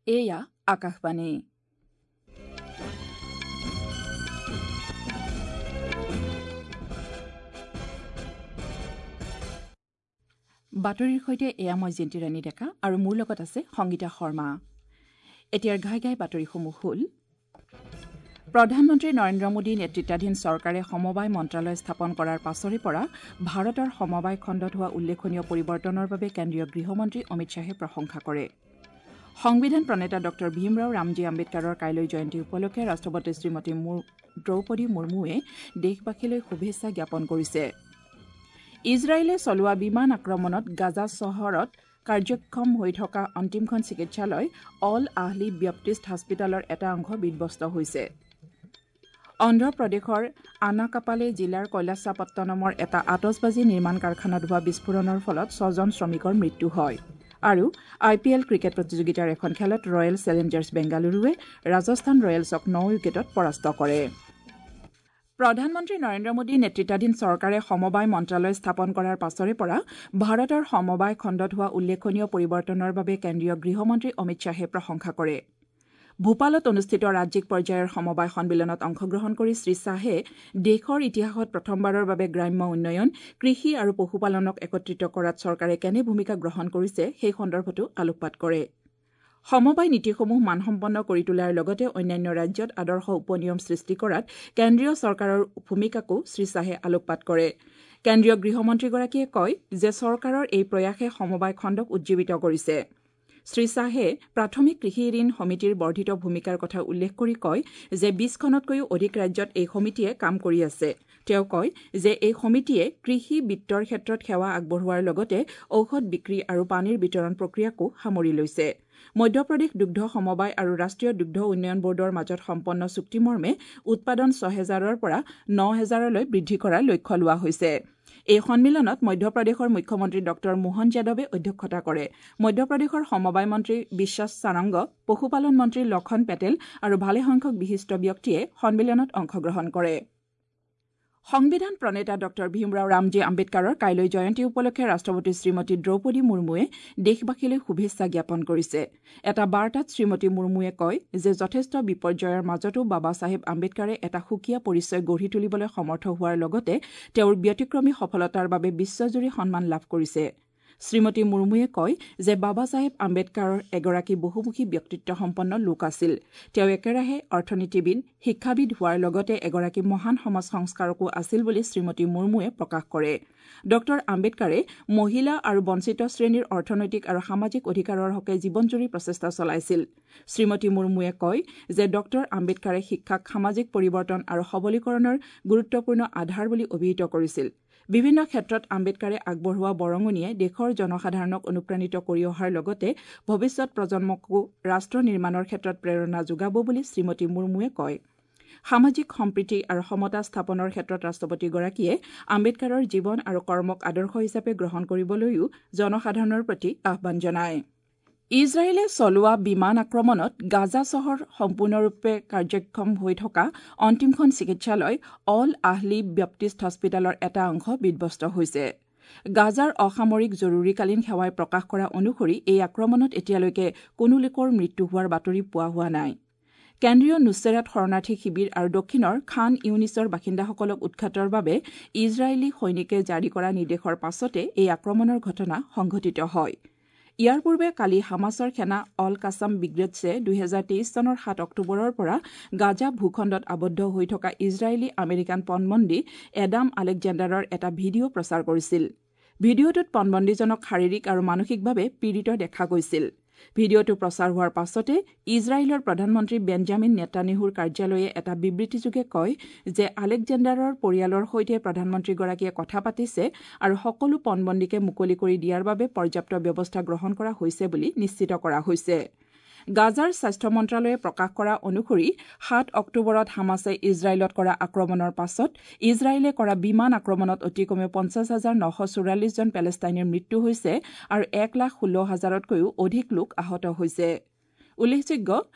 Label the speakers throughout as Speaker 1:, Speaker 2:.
Speaker 1: এয়া আকাশবাণী। বাতৰিৰ সৈতে এয়া মই জিন্তিৰাণী ডেকা আৰু মোৰ লগত আছে সংগীতা শৰ্মা। এতিয়াৰ ঘাই ঘাই বাতৰিসমূহ হ'ল: প্ৰধানমন্ত্ৰী নৰেন্দ্ৰ মোদী নেতৃত্বাধীন চৰকাৰে সমবায় মন্ত্ৰালয় স্থাপন কৰাৰ পাছৰে পৰা ভাৰতৰ সমবায় খণ্ডত হোৱা উল্লেখনীয় পৰিৱৰ্তনৰ বাবে কেন্দ্ৰীয় গৃহমন্ত্ৰী অমিত শ্বাহে প্ৰশংসা কৰে। সংবিধান প্ৰণেতা ডঃ ভীমৰাও ৰামজী আম্বেদকাৰৰ কাইলৈ জয়ন্তী উপলক্ষে ৰাষ্ট্ৰপতি শ্ৰীমতী দ্ৰৌপদী মুৰ্মুৱে দেশবাসীলৈ শুভেচ্ছা জ্ঞাপন কৰিছে। ইজৰাইলে চলোৱা বিমান আক্ৰমণত গাজা চহৰত কাৰ্যক্ষম হৈ থকা অন্তিমখন চিকিৎসালয় অল আহলি ব্যাপ্টিষ্ট হাস্পিতালৰ এটা অংশ বিধ্বস্ত হৈছে। অন্ধ্ৰপ্ৰদেশৰ আনাকাপালে জিলাৰ কৈলাসাপট্টনমৰ এটা আতচবাজী নিৰ্মাণ কাৰখানাত হোৱা বিস্ফোৰণৰ ফলত ৬জন শ্ৰমিকৰ মৃত্যু হয়। আৰু আই পি এল ক্ৰিকেট প্ৰতিযোগিতাৰ এখন খেলত ৰয়েল চেলেঞ্জাৰ্ছ বেংগালুৰুৱে ৰাজস্থান ৰয়েলছক ৯ উইকেটত পৰাস্ত কৰে। প্ৰধানমন্ত্ৰী নৰেন্দ্ৰ মোদী নেতৃত্বাধীন চৰকাৰে সমবায় মন্ত্ৰালয় স্থাপন কৰাৰ পাছৰে পৰা ভাৰতৰ সমবায় খণ্ডত হোৱা উল্লেখনীয় পৰিৱৰ্তনৰ বাবে কেন্দ্ৰীয় গৃহমন্ত্ৰী অমিত শ্বাহে প্ৰশংসা কৰে। ভূপালত অনুষ্ঠিত ৰাজ্যিক পৰ্যায়ৰ সমবায় সন্মিলনত অংশগ্ৰহণ কৰি শ্ৰী শ্বাহে দেশৰ ইতিহাসত প্ৰথমবাৰৰ বাবে গ্ৰাম্য উন্নয়ন, কৃষি আৰু পশুপালনক একত্ৰিত কৰাত চৰকাৰে কেনে ভূমিকা গ্ৰহণ কৰিছে সেই সন্দৰ্ভতো আলোকপাত কৰে। সমবায় নীতিসমূহ মানসম্পন্ন কৰি তোলাৰ লগতে অন্যান্য ৰাজ্যত আদৰ্শ উপনিয়ম সৃষ্টি কৰাত কেন্দ্ৰীয় চৰকাৰৰ ভূমিকাকো শ্ৰী শ্বাহে আলোকপাত কৰে। কেন্দ্ৰীয় গৃহমন্ত্ৰীগৰাকীয়ে কয় যে চৰকাৰৰ এই প্ৰয়াসে সমবায় খণ্ডক উজ্জীৱিত কৰিছে। শ্ৰী শ্বাহে প্ৰাথমিক কৃষি ঋণ সমিতিৰ বৰ্ধিত ভূমিকাৰ কথা উল্লেখ কৰি কয় যে ২০খনতকৈও অধিক ৰাজ্যত এই সমিতিয়ে কাম কৰি আছে। তেওঁ কয় যে এই সমিতিয়ে কৃষি বিত্তৰ ক্ষেত্ৰত সেৱা আগবঢ়োৱাৰ লগতে ঔষধ বিক্ৰী আৰু পানীৰ বিতৰণ প্ৰক্ৰিয়াকো সামৰি লৈছে। মধ্যপ্ৰদেশ দুগ্ধ সমবায় আৰু ৰাষ্ট্ৰীয় দুগ্ধ উন্নয়ন বৰ্ডৰ মাজত সম্পন্ন চুক্তিমৰ্মে উৎপাদন ৬,০০০ৰ পৰা ৯,০০০লৈ বৃদ্ধি কৰাৰ লক্ষ্য লোৱা হৈছে। এই সন্মিলনত মধ্যপ্ৰদেশৰ মুখ্যমন্ত্ৰী ডঃ মোহন যাদৱে অধ্যক্ষতা কৰে। মধ্যপ্ৰদেশৰ সমবায় মন্ত্ৰী বিশ্বাস সাৰংগ, পশুপালন মন্ত্ৰী লখন পেটেল আৰু ভালেসংখ্যক বিশিষ্ট ব্যক্তিয়ে সন্মিলনত অংশগ্ৰহণ কৰে। সংবিধান প্ৰণেতা ডঃ ভীমৰাও ৰামজী আম্বেদকাৰৰ কাইলৈ জয়ন্তী উপলক্ষে ৰাষ্ট্ৰপতি শ্ৰীমতী দ্ৰৌপদী মুৰ্মুৱে দেশবাসীলৈ শুভেচ্ছা জ্ঞাপন কৰিছে। এটা বাৰ্তাত শ্ৰীমতী মুৰ্মুৱে কয় যে যথেষ্ট বিপৰ্যয়ৰ মাজতো বাবা চাহেব আম্বেদকাৰে এটা সুকীয়া পৰিচয় গঢ়ি তুলিবলৈ সমৰ্থ হোৱাৰ লগতে তেওঁৰ ব্যতিক্ৰমী সফলতাৰ বাবে বিশ্বজুৰি সন্মান লাভ কৰিছে। শ্ৰীমতী মুৰ্মুৱে কয় যে বাবা চাহেব আম্বেদকাৰ এগৰাকী বহুমুখী ব্যক্তিত্বসম্পন্ন লোক আছিল। তেওঁ একেৰাহে অৰ্থনীতিবিদ, শিক্ষাবিদ হোৱাৰ লগতে এগৰাকী মহান সমাজ সংস্কাৰকো আছিল বুলি শ্ৰীমতী মুৰ্মুৱে প্ৰকাশ কৰে। ডঃ আম্বেদকাৰে মহিলা আৰু বঞ্চিত শ্ৰেণীৰ অৰ্থনৈতিক আৰু সামাজিক অধিকাৰৰ হকে জীৱনজুৰি প্ৰচেষ্টা চলাইছিল। শ্ৰীমতী মুৰ্মুৱে কয় যে ডঃ আম্বেদকাৰে শিক্ষাক সামাজিক পৰিৱৰ্তন আৰু সবলীকৰণৰ গুৰুত্বপূৰ্ণ আধাৰ বুলি অভিহিত কৰিছিল। বিভিন্ন ক্ষেত্ৰত আম্বেদকাৰে আগবঢ়োৱা বৰঙণিয়ে দেশৰ জনসাধাৰণক অনুপ্ৰাণিত কৰি অহাৰ লগতে ভৱিষ্যত প্ৰজন্মকো ৰাষ্ট্ৰ নিৰ্মাণৰ ক্ষেত্ৰত প্ৰেৰণা যোগাব বুলি শ্ৰীমতী মুৰ্মুৱে কয়। সামাজিক সম্প্ৰীতি আৰু সমতা স্থাপনৰ ক্ষেত্ৰত ৰাষ্ট্ৰপতিগৰাকীয়ে আম্বেদকাৰৰ জীৱন আৰু কৰ্মক আদৰ্শ হিচাপে গ্ৰহণ কৰিবলৈও জনসাধাৰণৰ প্ৰতি আহ্বান জনায়। ইজৰাইলে চলোৱা বিমান আক্ৰমণত গাজা চহৰ সম্পূৰ্ণৰূপে কাৰ্যক্ষম হৈ থকা অন্তিমখন চিকিৎসালয় অল আহলি ব্যাপ্টিষ্ট হস্পিতালৰ এটা অংশ বিধ্বস্ত হৈছে। গাজাৰ অসামৰিক জৰুৰীকালীন সেৱাই প্ৰকাশ কৰা অনুসৰি এই আক্ৰমণত এতিয়ালৈকে কোনো লোকৰ মৃত্যু হোৱাৰ বাতৰি পোৱা হোৱা নাই। কেন্দ্ৰীয় নুছেৰাত শৰণাৰ্থী শিবিৰ আৰু দক্ষিণৰ খান ইউনিছৰ বাসিন্দাসকলক উৎখাতৰ বাবে ইজৰাইলী সৈনিকে জাৰি কৰা নিৰ্দেশৰ পাছতে এই আক্ৰমণৰ ঘটনা সংঘটিত হয়। ইয়াৰ পূৰ্বে কালি হামাছৰ সেনা অল কাছাম ব্ৰিগেডছে ২০২৩ চনৰ ৭ অক্টোবৰৰ পৰা গাজা ভূখণ্ডত আবদ্ধ হৈ থকা ইজৰাইলী আমেৰিকান পণবন্দী এডাম আলেকজেণ্ডাৰৰ এটা ভিডিঅ' প্ৰচাৰ কৰিছিল। ভিডিঅ'টোত পণবন্দীজনক শাৰীৰিক আৰু মানসিকভাৱে পীড়িত দেখা গৈছিল। ভিডিঅ'টো প্ৰচাৰ হোৱাৰ পাছতে ইজৰাইলৰ প্ৰধানমন্ত্ৰী বেঞ্জামিন নেতানিয়াহুৰ কাৰ্যালয়ে এটা বিবৃতিযোগে কয় যে আলেকজেণ্ডাৰৰ পৰিয়ালৰ সৈতে প্ৰধানমন্ত্ৰীগৰাকীয়ে কথা পাতিছে আৰু সকলো পণবন্দীকে মুকলি কৰি দিয়াৰ বাবে পৰ্যাপ্ত ব্যৱস্থা গ্ৰহণ কৰা হৈছে বুলি নিশ্চিত কৰা হৈছে। গাজাৰ স্বাস্থ্য মন্ত্ৰালয়ে প্ৰকাশ কৰা অনুসৰি ৭ অক্টোবৰত হামাছে ইজৰাইলত কৰা আক্ৰমণৰ পাছত ইজৰাইলে কৰা বিমান আক্ৰমণত অতি কমেও ৫০,৯৪৪ জন পেলেষ্টাইনীৰ মৃত্যু হৈছে আৰু ১,১৬,০০০তকৈও অধিক লোক আহত হৈছে। উল্লেখযোগ্য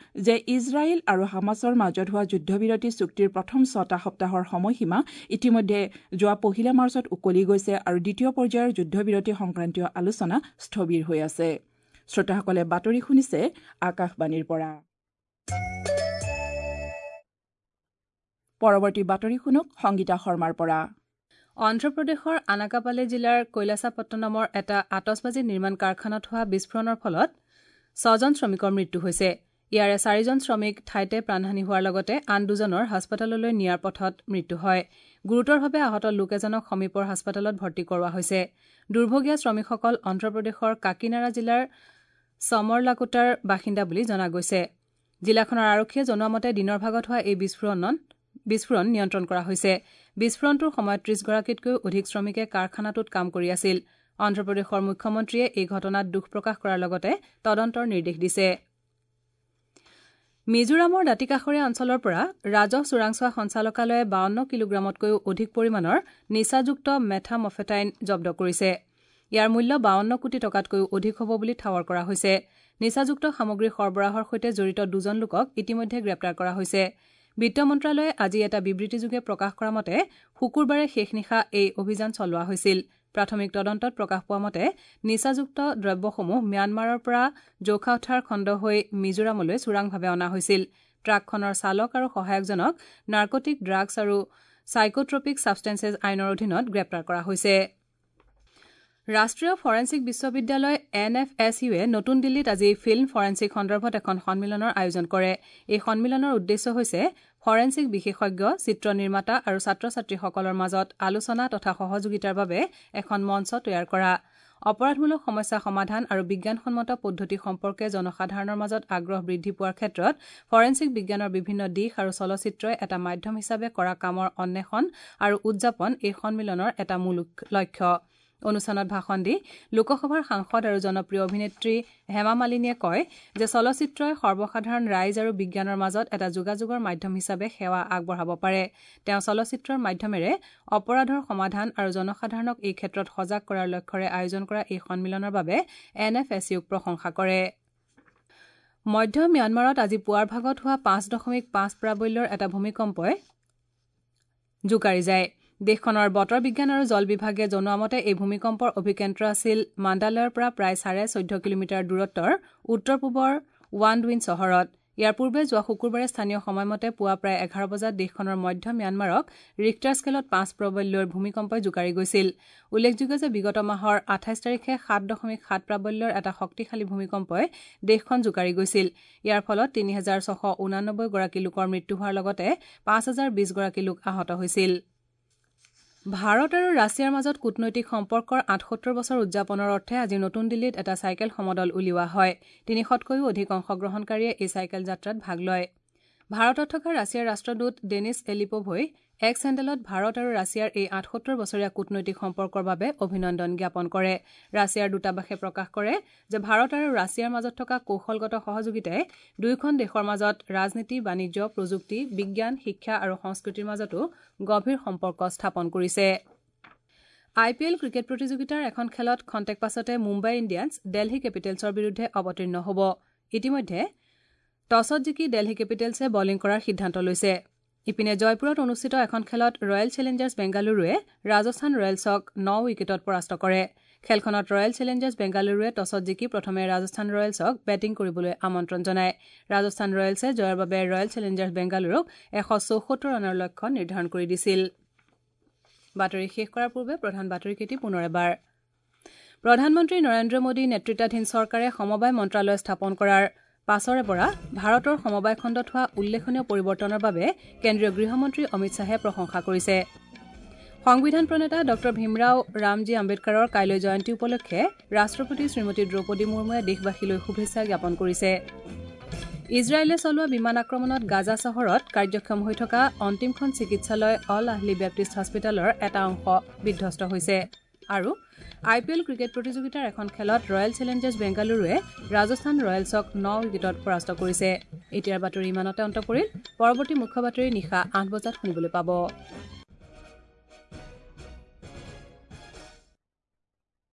Speaker 1: যে ইজৰাইল আৰু হামাছৰ মাজত হোৱা যুদ্ধবিৰতি চুক্তিৰ প্ৰথম ৬টা সপ্তাহৰ সময়সীমা ইতিমধ্যে যোৱা ১ মাৰ্চত উকলি গৈছে আৰু দ্বিতীয় পৰ্যায়ৰ যুদ্ধবিৰতি সংক্ৰান্তীয় আলোচনা স্থবিৰ হৈ আছে। শ্ৰোতাসকলে বাতৰি শুনিছে আকাশবাণীৰ পৰা। পৰৱৰ্তী বাতৰি শুনক সংগীতা শৰ্মাৰ পৰা।
Speaker 2: অন্ধ্ৰপ্ৰদেশৰ আনাকাপালে জিলাৰ কৈলাসাপট্টনমৰ এটা আতচবাজী নিৰ্মাণ কাৰখানাত হোৱা বিস্ফোৰণৰ ফলত 6জন শ্ৰমিকৰ মৃত্যু হৈছে। ইয়াৰে 4জন শ্ৰমিক ঠাইতে প্ৰাণহানি হোৱাৰ লগতে আন 2জনৰ হাস্পতাললৈ নিয়াৰ পথত মৃত্যু হয়। গুৰুতৰভাৱে আহত লোক এজনক সমীপৰ হাস্পতালত ভৰ্তি কৰোৱা হৈছে। দুৰ্ভগীয়া শ্ৰমিকসকল অন্ধ্ৰপ্ৰদেশৰ কাকিনাড়া জিলাৰ চমৰলাকোটাৰ বাসিন্দা বুলি জনা গৈছে। জিলাখনৰ আৰক্ষীয়ে জনোৱা মতে দিনৰ ভাগত হোৱা এই বিস্ফোৰণ নিয়ন্ত্ৰণ কৰা হৈছে। বিস্ফোৰণটোৰ সময়ত 30গৰাকীতকৈও অধিক শ্ৰমিকে কাৰখানাটোত কাম কৰি আছিল। অন্ধ্ৰপ্ৰদেশৰ মুখ্যমন্ত্ৰীয়ে এই ঘটনাত দুখ প্ৰকাশ কৰাৰ লগতে তদন্তৰ নিৰ্দেশ দিছে। মিজোৰামৰ দাঁতিকাষৰীয়া অঞ্চলৰ পৰা ৰাজহ চোৰাংচোৱা সঞ্চালকালয়ে 52 কিলোগ্ৰামতকৈও অধিক পৰিমাণৰ নিচাযুক্ত মেথামফেটাইন জব্দ কৰিছে। ইয়াৰ মূল্য 52 কোটি টকাতকৈও অধিক হ'ব বুলি ঠাৱৰ কৰা হৈছে। নিচাযুক্ত সামগ্ৰী সৰবৰাহৰ সৈতে জড়িত 2জন লোকক ইতিমধ্যে গ্ৰেপ্তাৰ কৰা হৈছে। বিত্ত মন্ত্ৰালয়ে আজি এটা বিবৃতিযোগে প্ৰকাশ কৰা মতে শুকুৰবাৰে শেষ নিশা এই অভিযান চলোৱা হৈছিল। প্ৰাথমিক তদন্তত প্ৰকাশ পোৱা মতে নিচাযুক্ত দ্ৰব্যসমূহ ম্যানমাৰৰ পৰা জৌখাউথাৰ খণ্ড হৈ মিজোৰামলৈ চোৰাংভাৱে অনা হৈছিল। ট্ৰাকখনৰ চালক আৰু সহায়কজনক নাৰ্কটিক ড্ৰাগছ আৰু চাইকোট্ৰপিক ছাবষ্টেন্সেছ আইনৰ অধীনত গ্ৰেপ্তাৰ কৰা হৈছে। ৰাষ্ট্ৰীয় ফৰেনছিক বিশ্ববিদ্যালয় এন এফ এছ ইউৱে নতুন দিল্লীত আজি ফিল্ম ফৰেনছিক সন্দৰ্ভত এখন সন্মিলনৰ আয়োজন কৰে। এই সন্মিলনৰ উদ্দেশ্য হৈছে ফৰেনছিক বিশেষজ্ঞ, চিত্ৰ নিৰ্মাতা আৰু ছাত্ৰ ছাত্ৰীসকলৰ মাজত আলোচনা তথা সহযোগিতাৰ বাবে এখন মঞ্চ তৈয়াৰ কৰা। অপৰাধমূলক সমস্যা সমাধান আৰু বিজ্ঞানসন্মত পদ্ধতি সম্পৰ্কে জনসাধাৰণৰ মাজত আগ্ৰহ বৃদ্ধি পোৱাৰ ক্ষেত্ৰত ফৰেনছিক বিজ্ঞানৰ বিভিন্ন দিশ আৰু চলচ্চিত্ৰই এটা মাধ্যম হিচাপে কৰা কামৰ অন্বেষণ আৰু উদযাপন এই সন্মিলনৰ এটা মূল লক্ষ্য। অনুষ্ঠানত ভাষণ দি লোকসভাৰ সাংসদ আৰু জনপ্ৰিয় অভিনেত্ৰী হেমা মালিনীয়ে কয় যে চলচ্চিত্ৰই সৰ্বসাধাৰণ ৰাইজ আৰু বিজ্ঞানৰ মাজত এটা যোগাযোগৰ মাধ্যম হিচাপে সেৱা আগবঢ়াব পাৰে। তেওঁ চলচ্চিত্ৰৰ মাধ্যমেৰে অপৰাধৰ সমাধান আৰু জনসাধাৰণক এই ক্ষেত্ৰত সজাগ কৰাৰ লক্ষ্যৰে আয়োজন কৰা এই সন্মিলনৰ বাবে এন এফ এছ ইউক প্ৰশংসা কৰে। মধ্য ম্যানমাৰত আজি পুৱাৰ ভাগত হোৱা 5.5 প্ৰাবল্যৰ এটা ভূমিকম্পই জোকাৰি যায়। দেশখনৰ বতৰ বিজ্ঞান আৰু জল বিভাগে জনোৱা মতে এই ভূমিকম্পৰ অভিকেন্দ্ৰ আছিল মাণ্ডালয়ৰ পৰা প্ৰায় 14.5 কিলোমিটাৰ দূৰত্বৰ উত্তৰ পূবৰ ৱাণ্ডউইন চহৰত। ইয়াৰ পূৰ্বে যোৱা শুকুৰবাৰে স্থানীয় সময়মতে পুৱা প্ৰায় 11 বজাত দেশখনৰ মধ্য ম্যানমাৰক ৰিক্টাৰ স্কেলত 5 প্ৰাবল্যৰ ভূমিকম্পই জোকাৰি গৈছিল। উল্লেখযোগ্য যে বিগত মাহৰ 28 তাৰিখে 7.7 প্ৰাবল্যৰ এটা শক্তিশালী ভূমিকম্পই দেশখন জোকাৰি গৈছিল। ইয়াৰ ফলত 3689 গৰাকী লোকৰ মৃত্যু হোৱাৰ লগতে 5020 গৰাকী লোক আহত হৈছিল। ভাৰত আৰু ৰাছিয়াৰ মাজত কূটনৈতিক সম্পৰ্কৰ 78 বছৰ উদযাপনৰ অৰ্থে আজি নতুন দিল্লীত এটা চাইকেল সমদল উলিওৱা হয়। 300তকৈও অধিক অংশগ্ৰহণকাৰীয়ে এই চাইকেল যাত্ৰাত ভাগ লয়। ভাৰতত থকা ৰাছিয়াৰ ৰাষ্ট্ৰদূত ডেনিছ এলিপোভই এক্স হেণ্ডেলত ভাৰত আৰু ৰাছিয়াৰ এই 78 বছৰীয়া কূটনৈতিক সম্পৰ্কৰ বাবে অভিনন্দন জ্ঞাপন কৰে। ৰাছিয়াৰ দূতাবাসে প্ৰকাশ কৰে যে ভাৰত আৰু ৰাছিয়াৰ মাজত থকা কৌশলগত সহযোগিতাই দুয়োখন দেশৰ মাজত ৰাজনীতি, বাণিজ্য, প্ৰযুক্তি, বিজ্ঞান, শিক্ষা আৰু সংস্কৃতিৰ মাজতো গভীৰ সম্পৰ্ক স্থাপন কৰিছে। আই পি এল ক্ৰিকেট প্ৰতিযোগিতাৰ এখন খেলত খন্তেক পাছতে মুম্বাই ইণ্ডিয়ানছ দেলহি কেপিটেলছৰ বিৰুদ্ধে অৱতীৰ্ণ হ'ব। ইতিমধ্যে টছত জিকি দেলহি কেপিটেলছে বলিং কৰাৰ সিদ্ধান্ত লৈছে। ইপিনে জয়পুৰত অনুষ্ঠিত এখন খেলত ৰয়েল চেলেঞ্জাৰ্ছ বেংগালুৰুৱে ৰাজস্থান ৰয়েলছক 9 উইকেটত পৰাস্ত কৰে। খেলখনত ৰয়েল চেলেঞ্জাৰ্ছ বেংগালুৰুৱে টছত জিকি প্ৰথমে ৰাজস্থান ৰয়েলছক বেটিং কৰিবলৈ আমন্ত্ৰণ জনায়। ৰাজস্থান ৰয়েলছে জয়ৰ বাবে ৰয়েল চেলেঞ্জাৰ্ছ বেংগালুৰুক 174 ৰানৰ লক্ষ্য নিৰ্ধাৰণ কৰি দিছিল। বাতৰি শেষ কৰাৰ পূৰ্বে প্ৰধান বাতৰিকেইটি পুনৰ এবাৰ। প্ৰধানমন্ত্ৰী নৰেন্দ্ৰ মোদী নেতৃত্বাধীন চৰকাৰে সমবায় মন্ত্ৰালয় স্থাপন কৰাৰ পাছৰে পৰা ভাৰতৰ সমবায় খণ্ডত হোৱা উল্লেখনীয় পৰিৱৰ্তনৰ বাবে কেন্দ্ৰীয় গৃহমন্ত্ৰী অমিত শ্বাহে প্ৰশংসা কৰিছে। সংবিধান প্ৰণেতা ডঃ ভীমৰাও ৰামজী আম্বেদকাৰৰ কাইলৈ জয়ন্তী উপলক্ষে ৰাষ্ট্ৰপতি শ্ৰীমতী দ্ৰৌপদী মুৰ্মুৱে দেশবাসীলৈ শুভেচ্ছা জ্ঞাপন কৰিছে। ইজৰাইলে চলোৱা বিমান আক্ৰমণত গাজা চহৰত কাৰ্যক্ষম হৈ থকা অন্তিমখন চিকিৎসালয় অল আহলি বেপ্টিষ্ট হস্পিটেলৰ এটা অংশ বিধ্বস্ত হৈছে। আৰু আই পি এল ক্ৰিকেট প্ৰতিযোগিতাৰ এখন খেলত ৰয়েল চেলেঞ্জাৰ্ছ বেংগালুৰুৱে ৰাজস্থান ৰয়েলছক 9 উইকেটত পৰাস্ত কৰিছে। এতিয়াৰ বাতৰি ইমানতে অন্ত পৰিল। পৰৱৰ্তী মুখ্য বাতৰি নিশা 8 বজাত শুনিবলৈ পাব।